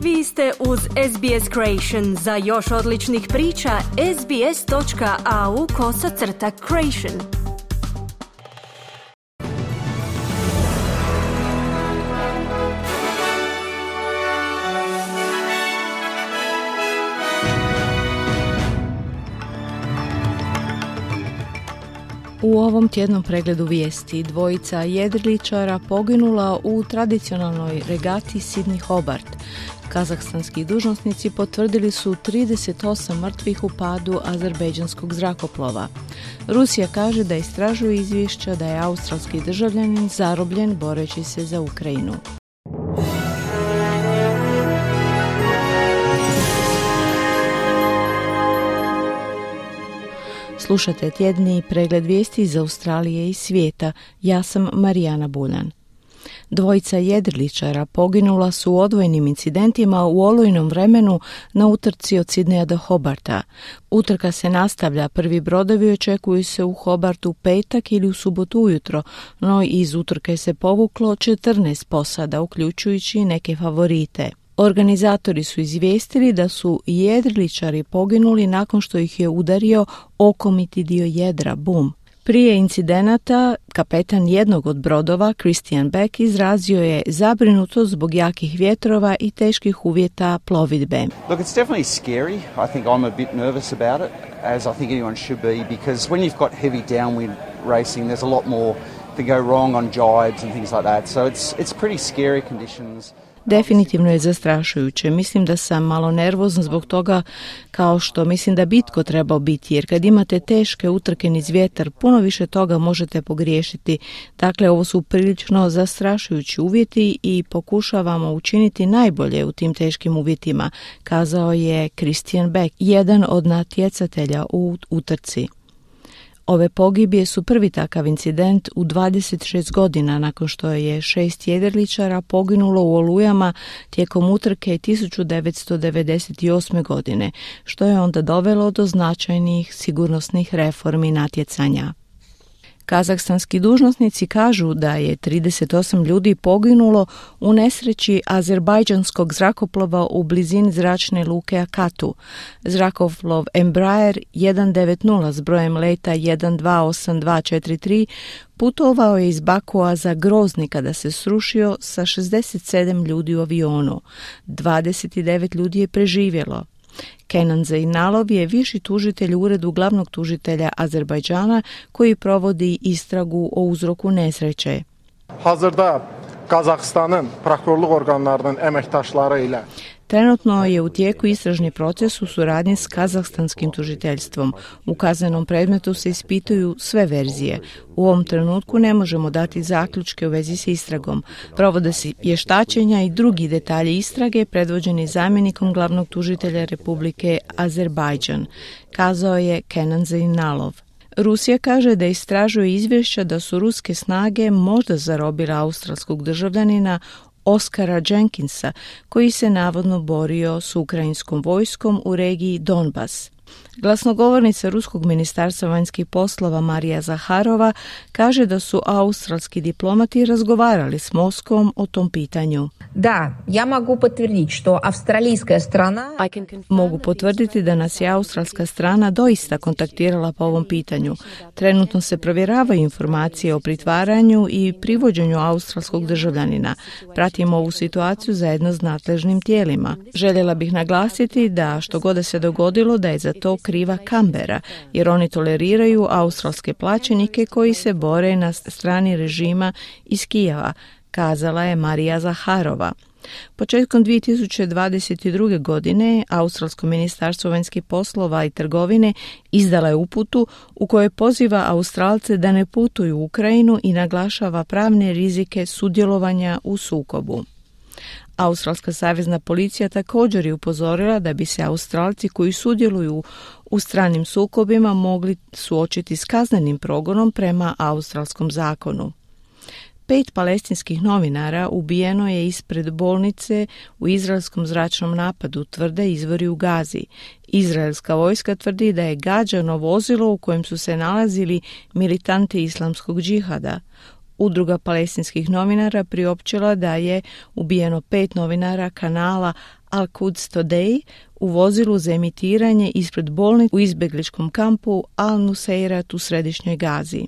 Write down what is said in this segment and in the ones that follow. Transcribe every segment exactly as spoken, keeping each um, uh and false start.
Vi ste uz S B S Creation. Za još odličnih priča, sbs.au kosacrta creation. U ovom tjednom pregledu vijesti dvojica jedriličara poginula u tradicionalnoj regati Sydney Hobart. Kazahstanski dužnosnici potvrdili su trideset osam mrtvih u padu azerbejdžanskog zrakoplova. Rusija kaže da istražuje izvješća da je australski državljanin zarobljen boreći se za Ukrajinu. Slušate tjedni pregled vijesti iz Australije i svijeta. Ja sam Marijana Buljan. Dvojica jedriličara poginula su u odvojenim incidentima u olujnom vremenu na utrci od Sidneja do Hobarta. Utrka se nastavlja, prvi brodovi očekuju se u Hobartu u petak ili u subotu ujutro, no iz utrke se povuklo četrnaest posada, uključujući neke favorite. Organizatori su izvijestili da su jedriličari poginuli nakon što ih je udario okomiti dio jedra, bum. Prije incidenata, kapetan jednog od brodova, Christian Beck, izrazio je zabrinutost zbog jakih vjetrova i teških uvjeta plovidbe. Look, it's definitely scary. I think I'm a bit nervous about it, as I think anyone should be, because when you've got heavy downwind racing, there's a lot more to go wrong on jibes and things like that. So it's it's pretty scary conditions. Definitivno je zastrašujuće. Mislim da sam malo nervozan zbog toga, kao što mislim da bitko trebao biti, jer kad imate teške utrke niz vjetar, puno više toga možete pogriješiti. Dakle, ovo su prilično zastrašujući uvjeti i pokušavamo učiniti najbolje u tim teškim uvjetima, kazao je Christian Beck, jedan od natjecatelja u utrci. Ove pogibije su prvi takav incident u dvadeset šest godina nakon što je šest jedriličara poginulo u olujama tijekom utrke tisuću devetsto devedeset osme. godine, što je onda dovelo do značajnih sigurnosnih reformi natjecanja. Kazahstanski dužnosnici kažu da je trideset osam ljudi poginulo u nesreći azerbajdžanskog zrakoplova u blizini zračne luke Akatu. Zrakoplov Embraer sto devedeset s brojem leta jedan dva osam dva četiri tri putovao je iz Bakua za Grozni kada se srušio sa šezdeset sedam ljudi u avionu. dvadeset devet ljudi je preživjelo. Kenan Zeynalov je viši tužitelj u uredu glavnog tužitelja Azerbajdžana koji provodi istragu o uzroku nesreće. Hazırda Kazahstan'ın prokurorluk organlarının emektaşları ile Trenutno je u tijeku istražni proces u suradnji s kazahstanskim tužiteljstvom. U kaznenom predmetu se ispituju sve verzije. U ovom trenutku ne možemo dati zaključke u vezi s istragom. Provode se vještačenja i drugi detalji istrage predvođeni zamjenikom glavnog tužitelja Republike Azerbajdžan, kazao je Kenan Zeynalov. Rusija kaže da istražuje izvješća da su ruske snage možda zarobile australskog državljanina Oskara Jenkinsa, koji se navodno borio s ukrajinskom vojskom u regiji Donbas. Glasnogovornica Ruskog ministarstva vanjskih poslova Marija Zaharova kaže da su australski diplomati razgovarali s Moskvom o tom pitanju. Da, ja mogu potvrditi što avstralijska strana... Mogu potvrditi da nas je australska strana doista kontaktirala po ovom pitanju. Trenutno se provjeravaju informacije o pritvaranju i privođenju australskog državljanina. Pratimo ovu situaciju zajedno s nadležnim tijelima. Željela bih naglasiti da što god se dogodilo da je za to kriva Kambera, jer oni toleriraju australske plaćenike koji se bore na strani režima iz Kijeva, kazala je Marija Zaharova. Početkom dvije tisuće dvadeset druge. godine Australsko ministarstvo vanjskih poslova i trgovine izdala je uputu u kojoj poziva Australce da ne putuju u Ukrajinu i naglašava pravne rizike sudjelovanja u sukobu. Australska savezna policija također je upozorila da bi se Australci koji sudjeluju u stranim sukobima mogli suočiti s kaznenim progonom prema australskom zakonu. Pet palestinskih novinara ubijeno je ispred bolnice u izraelskom zračnom napadu, tvrde izvori u Gazi. Izraelska vojska tvrdi da je gađano vozilo u kojem su se nalazili militanti islamskog džihada. Udruga palestinskih novinara priopćila da je ubijeno pet novinara kanala Al-Quds Today u vozilu za emitiranje ispred bolnice u izbjegličkom kampu Al-Nuseirat u središnjoj Gazi.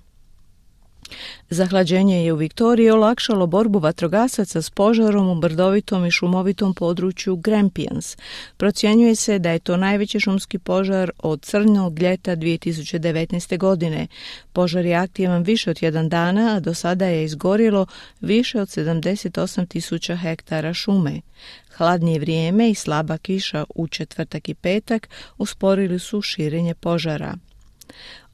Zahlađenje je u Viktoriji olakšalo borbu vatrogasaca s požarom u brdovitom i šumovitom području Grampians. Procjenjuje se da je to najveći šumski požar od crnog ljeta dvije tisuće devetnaeste. godine. Požar je aktivan više od jedan dana, a do sada je izgorjelo više od sedamdeset osam tisuća hektara šume. Hladnije vrijeme i slaba kiša u četvrtak i petak usporili su širenje požara.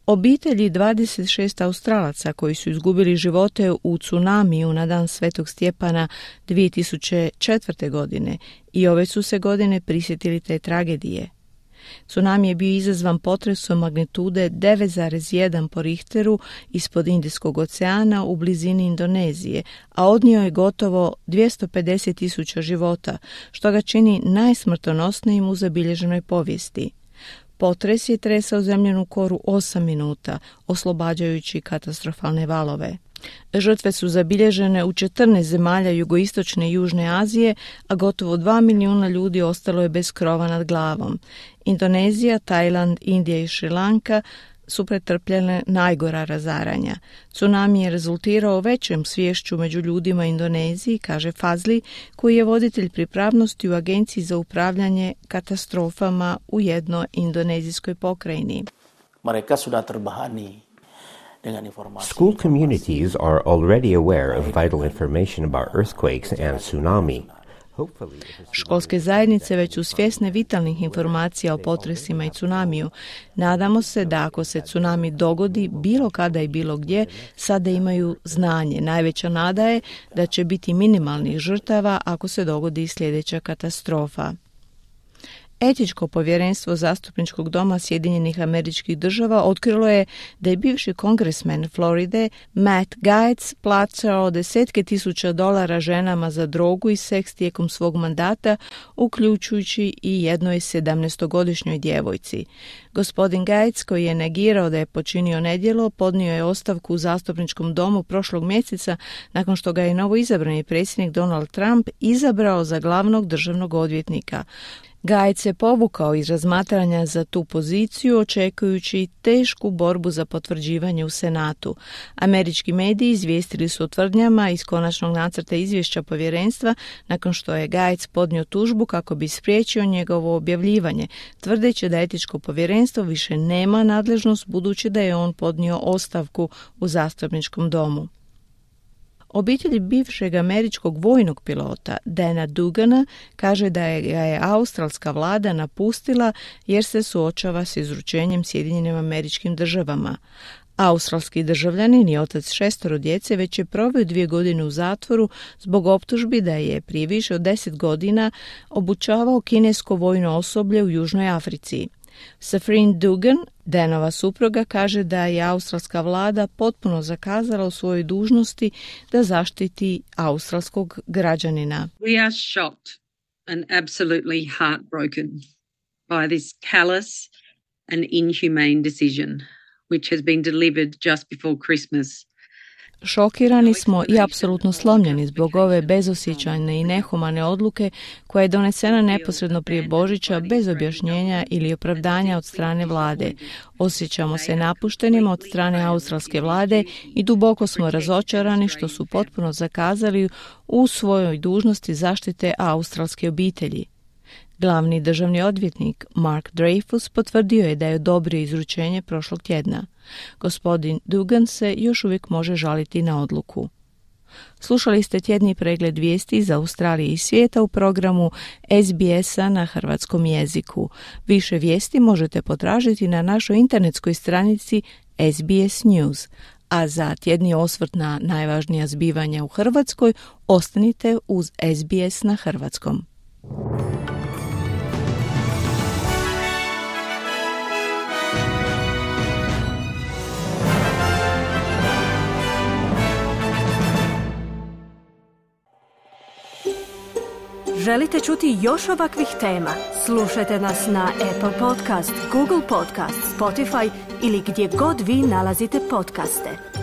Obitelji dvadeset šest Australaca koji su izgubili živote u tsunamiju na dan Svetog Stjepana dvije tisuće četvrte. godine i ove su se godine prisjetili te tragedije. Tsunami je bio izazvan potresom magnitude devet zarez jedan po Richteru ispod Indijskog oceana u blizini Indonezije, a odnio je gotovo dvjesto pedeset tisuća života, što ga čini najsmrtonosnijim u zabilježenoj povijesti. Potres je tresao zemljanu koru osam minuta, oslobađajući katastrofalne valove. Žrtve su zabilježene u četrnaest zemalja jugoistočne i južne Azije, a gotovo dva milijuna ljudi ostalo je bez krova nad glavom. Indonezija, Tajland, Indija i Šrilanka su pretrpljene najgora razaranja. Tsunami je rezultirao većem sviješću među ljudima Indoneziji, kaže Fazli, koji je voditelj pripravnosti u Agenciji za upravljanje katastrofama u jednoj indonezijskoj pokrajini. Mereka sudah terbahani. School communities are already aware of vital information about earthquakes and tsunami. Školske zajednice već su svjesne vitalnih informacija o potresima i tsunamiju. Nadamo se da ako se tsunami dogodi bilo kada i bilo gdje, sada imaju znanje. Najveća nada je da će biti minimalnih žrtava ako se dogodi sljedeća katastrofa. Etičko povjerenstvo Zastupničkog doma Sjedinjenih Američkih Država otkrilo je da je bivši kongresmen Floride Matt Gaetz plaćao desetke tisuća dolara ženama za drogu i seks tijekom svog mandata, uključujući i jednoj sedamnaestogodišnjoj djevojci. Gospodin Gaetz, koji je negirao da je počinio nedjelo, podnio je ostavku u Zastupničkom domu prošlog mjeseca nakon što ga je novoizabrani predsjednik Donald Trump izabrao za glavnog državnog odvjetnika. Gaetz se povukao iz razmatranja za tu poziciju, očekujući tešku borbu za potvrđivanje u Senatu. Američki mediji izvijestili su o tvrdnjama iz konačnog nacrta izvješća povjerenstva nakon što je Gaetz podnio tužbu kako bi spriječio njegovo objavljivanje, tvrdeći da etičko povjerenstvo više nema nadležnost budući da je on podnio ostavku u Zastupničkom domu. Obitelj bivšeg američkog vojnog pilota Dana Dugana kaže da je ga je australska vlada napustila jer se suočava s izručenjem Sjedinjenim Američkim Državama. Australski državljanin i otac šestoro djece već je proveo dvije godine u zatvoru zbog optužbi da je prije više od deset godina obučavao kinesko vojno osoblje u Južnoj Africi. Safrine Dugan, Danova supruga, kaže da je australska vlada potpuno zakazala u svojoj dužnosti da zaštiti australskog građanina. We are shocked and absolutely heartbroken by this callous and inhumane decision which has been delivered just before Christmas. Šokirani smo i apsolutno slomljeni zbog ove bezosjećajne i nehumane odluke koja je donesena neposredno prije Božića bez objašnjenja ili opravdanja od strane vlade. Osjećamo se napuštenima od strane australske vlade i duboko smo razočarani što su potpuno zakazali u svojoj dužnosti zaštite australske obitelji. Glavni državni odvjetnik Mark Dreyfus potvrdio je da je odobrio izručenje prošlog tjedna. Gospodin Dugan se još uvijek može žaliti na odluku. Slušali ste tjedni pregled vijesti iz Australije i svijeta u programu S B S-a na hrvatskom jeziku. Više vijesti možete potražiti na našoj internetskoj stranici S B S News. A za tjedni osvrt na najvažnija zbivanja u Hrvatskoj ostanite uz S B S na hrvatskom. Želite čuti još ovakvih tema? Slušajte nas na Apple Podcast, Google Podcast, Spotify ili gdje god vi nalazite podcaste.